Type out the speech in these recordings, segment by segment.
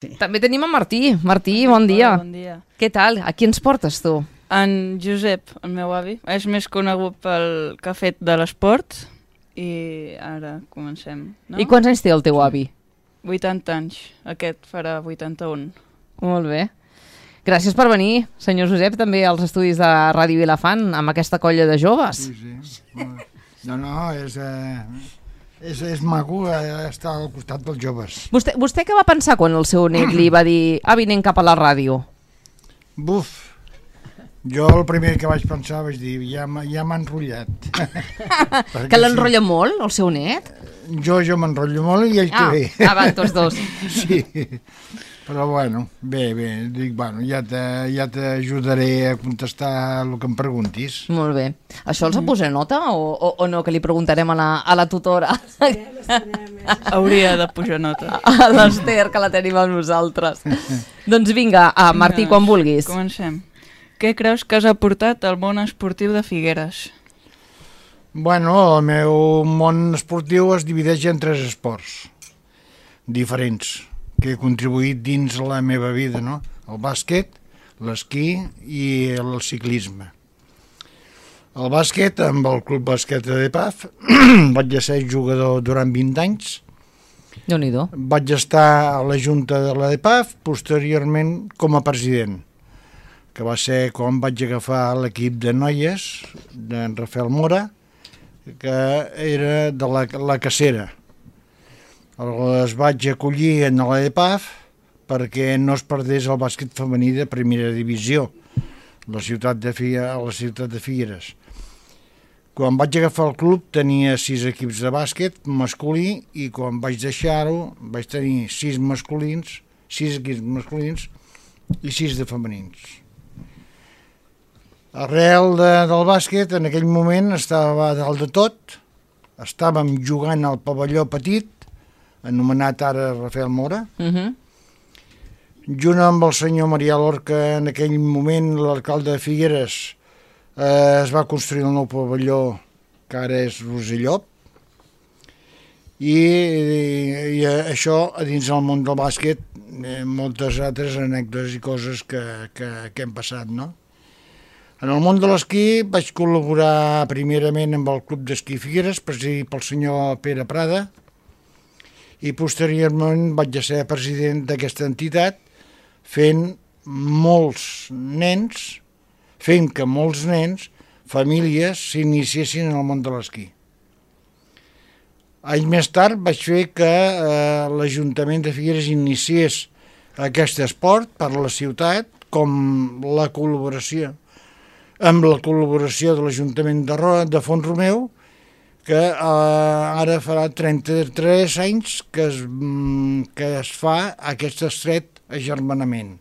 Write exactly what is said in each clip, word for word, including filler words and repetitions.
Sí. També tenim en Martí. Martí, bon dia. Hola, bon dia. Què tal? A qui ens portes tu? En Josep, el meu avi, és més conegut pel que ha fet de l'esport i ara comencem, no? I quants anys té el teu avi? vuitanta anys, aquest farà vuitanta-un. Molt bé. Gràcies per venir, senyor Josep, també als estudis de Ràdio Vilafant, amb aquesta colla de joves. Sí, sí. No, no, és, eh, és, és maco eh, estar al costat dels joves. Vostè, vostè què va pensar quan el seu net li va dir avi, anem cap a la ràdio? Buf, jo el primer que vaig pensar vaig dir, ja, m'ha- ja m'ha enrotllat. Que l'enrotlla molt, el seu net? Jo, jo m'enrotllo molt i ell Ah, també. ah, va, tots dos. Sí, però bueno, bé, bé, dic, bueno, ja te- ja t'ajudaré a contestar el que em preguntis. Molt bé. Això els ha posat nota o, o, o no, que li preguntarem a la, a la tutora? Hauria de pujar nota. A l'Ester, que la tenim amb nosaltres. Doncs vinga, a Martí, quan vulguis. Comencem. Què creus que has aportat al món esportiu de Figueres? Bueno, el meu món esportiu es divideix en tres esports diferents que he contribuït dins la meva vida, no? El bàsquet, l'esquí i el ciclisme. El bàsquet, amb el Club Bàsquet de Paf, vaig ser jugador durant vint anys. Déu-n'hi-do. Vaig estar a la Junta de la D P A F, posteriorment com a president, que va ser quan vaig agafar l'equip de noies d'en Rafael Mora, que era de la, la cacera. Les vaig acollir en la D P A F perquè no es perdés el bàsquet femení de primera divisió a la ciutat de, Figueres, a la ciutat de Figueres. Quan vaig agafar el club tenia sis equips de bàsquet masculí i quan vaig deixar-ho vaig tenir sis masculins, sis equips masculins i sis de femenins. Arrel de, del bàsquet, en aquell moment estava a dalt de tot, estàvem jugant al pavelló petit, anomenat ara Rafael Mora, Uh -huh. junt amb el senyor Marià Lorca, en aquell moment l'alcalde de Figueres, eh, es va construir el nou pavelló que ara és Rosellop, i, i, i això a dins del món del bàsquet, eh, moltes altres anècdotes i coses que, que, que hem passat, no? En el món de l'esquí vaig col·laborar primerament amb el Club d'Esquí Figueres, presidit pel senyor Pere Prada, i posteriorment vaig ser president d'aquesta entitat, fent molts nens, fent que molts nens, famílies, s'iniciessin en el món de l'esquí. Anys més tard vaig fer que eh, l'Ajuntament de Figueres iniciés aquest esport per la ciutat, com la col·laboració amb la col·laboració de l'Ajuntament de, Ro de Font Romeu, que eh, ara farà trenta-tres anys que es, que es fa aquest estret agermanament.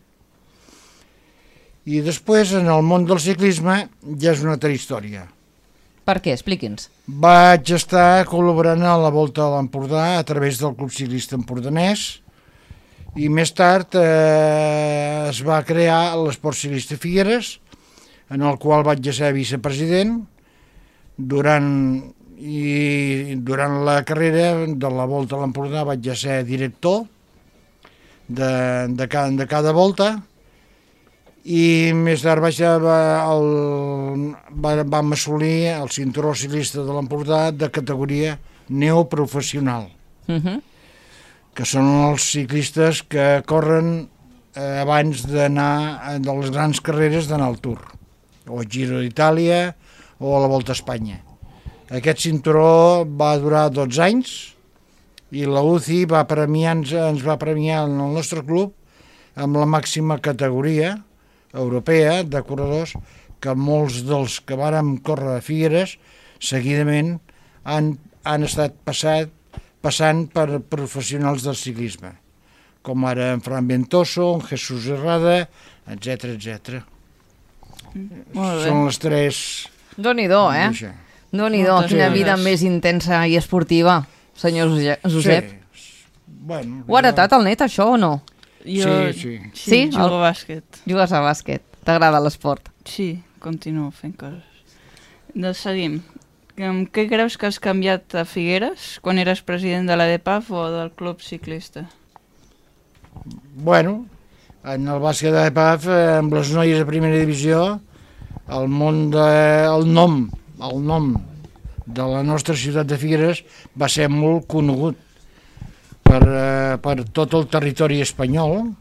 I després, en el món del ciclisme, ja és una altra història. Per què? Expliqui'ns. Vaig estar col·laborant a la Volta a l'Empordà a través del Club Ciclista Empordanès i més tard eh, es va crear l'Esport Ciclista Figueres, en el qual vaig ser vicepresident durant, i durant la carrera de la Volta a l'Empordà vaig ser director de, de, cada, de cada volta i més tard vaig, el, vam assolir el cinturó ciclista de l'Empordà de categoria neoprofessional, Uh -huh. que són els ciclistes que corren eh, abans d'anar de les grans carreres d'anar al Tour, o al Giro d'Itàlia o a la Volta a Espanya. Aquest cinturó va durar dotze anys i la U C I va premiar, ens, ens va premiar en el nostre club amb la màxima categoria europea de corredors, que molts dels que vàrem córrer a Figueres seguidament han, han estat passat, passant per professionals del ciclisme, com ara en Fran Ventoso, en Jesús Herrada, etcètera, etcètera. Molt bé. Són les tres... Déu-n'hi-do, eh? Això. Déu-n'hi-do, Moltes quina gràcies. vida més intensa i esportiva, senyor Jose- Josep. Sí. Bueno, Ho ha heretat el net, això, o no? Jo, Sí, sí. sí, Sí? jugo El- a bàsquet. Jugues a bàsquet, t'agrada l'esport. Sí, continuo fent coses. Doncs seguim. Amb què creus que has canviat a Figueres quan eres president de la D P A F o del Club Ciclista? bueno, en el bàsquet de P A F, amb les noies de primera divisió, el món de, el nom, el nom de la nostra ciutat de Figueres va ser molt conegut per, eh, per tot el territori espanyol,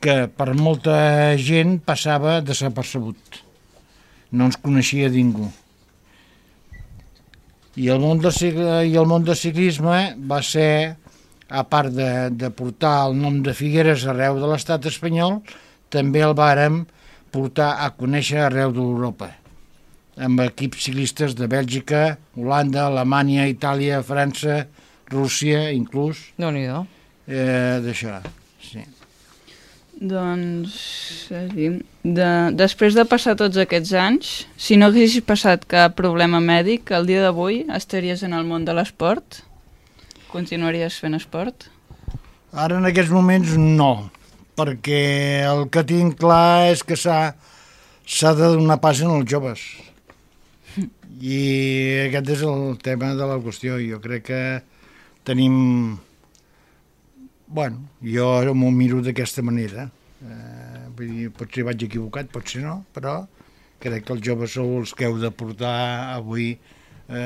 que per molta gent passava desapercebut. No ens coneixia ningú. I el món del, i el món del ciclisme va ser, a part de, de portar el nom de Figueres arreu de l'estat espanyol, també el vàrem portar a conèixer arreu d'Europa, amb equips ciclistes de Bèlgica, Holanda, Alemanya, Itàlia, França, Rússia, inclús. Déu-n'hi-do. Eh, d'això, sí. Doncs, de, després de passar tots aquests anys, si no haguessis passat cap problema mèdic, el dia d'avui estaries en el món de l'esport? Continuaries fent esport? Ara en aquests moments no, perquè el que tinc clar és que s'ha s'ha de donar pas en els joves. I aquest és el tema de la qüestió. Jo crec que tenim... Bueno, jo m'ho miro d'aquesta manera. Eh, vull dir, potser vaig equivocat, potser no, però crec que els joves sou els que heu de portar avui, eh,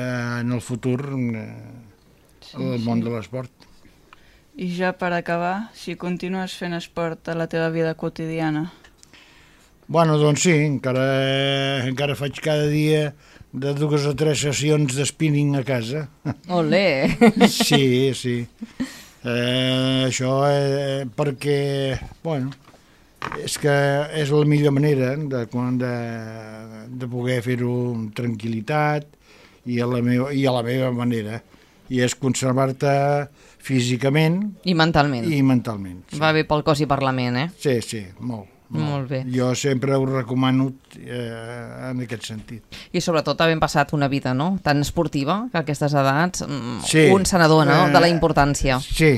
en el futur, eh, Sí, el món sí. de l'esport. I ja per acabar, si continues fent esport a la teva vida quotidiana? Bueno, doncs sí, encara, encara faig cada dia de dues o tres sessions de spinning a casa. Olé! Sí, sí. Eh, això eh, perquè, bueno, és que és la millor manera de, de, de poder fer-ho amb tranquil·litat i a la meva, i a la meva manera. I és conservar-te físicament I mentalment. i mentalment. Sí. Va bé pel cos i per la ment, eh? Sí, sí, molt. Molt, Molt bé. Jo sempre ho recomano eh, en aquest sentit. I sobretot havent passat una vida, no?, tan esportiva, que a aquestes edats mm, Sí. un se n'adona, no?, de la importància. Sí,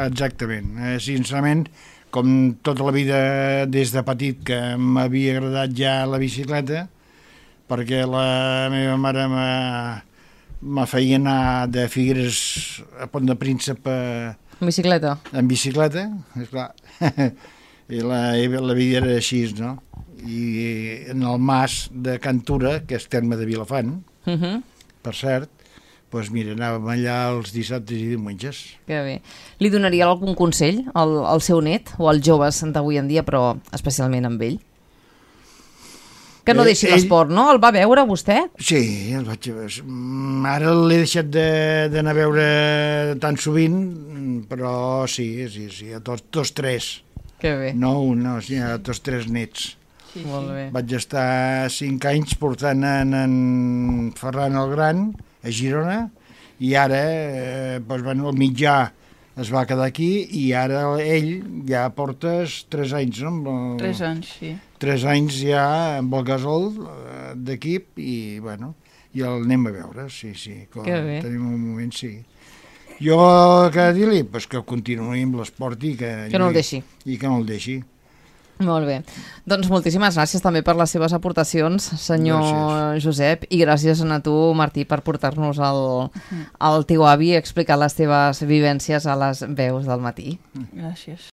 exactament. Eh, sincerament, com tota la vida des de petit que m'havia agradat ja la bicicleta, perquè la meva mare me feia anar de Figueres a Pont de Príncep a, Bicicleta. en bicicleta, esclar. I la, la vida era així, no? I en el mas de Cantura, que és terme de Vilafant, Uh -huh. per cert, doncs mira, anàvem allà els dissabtes i diumenges. Que bé. Li donaria algun consell al, al seu net o als joves d'avui en dia, però especialment amb ell? Que no Eh, deixi ell- l'esport, no? El va veure vostè? Sí, el vaig veure. Mm, Ara l'he deixat de- d'anar a veure tan sovint, però sí, sí, sí, a tots, tots tres. Que bé. No un, no, sí, a tots tres nets. Sí, Molt bé. Vaig estar cinc anys portant en, en Ferran el Gran a Girona i ara, eh, doncs, bueno, el mitjà es va quedar aquí i ara ell ja portes tres anys, no? Amb el, Tres anys, sí. Tres anys ja amb el gasol eh, d'equip i, bueno, i el anem a veure, sí, sí. Quan Que bé. tenim un moment, sí. Jo que dir-li pues, que continuï amb l'esport i que... Que no el deixi. I que no el deixi. Molt bé. Doncs moltíssimes gràcies també per les seves aportacions, senyor Gràcies. Josep, i gràcies a tu, Martí, per portar-nos el, el teu avi i explicar les teves vivències a les veus del matí. Gràcies.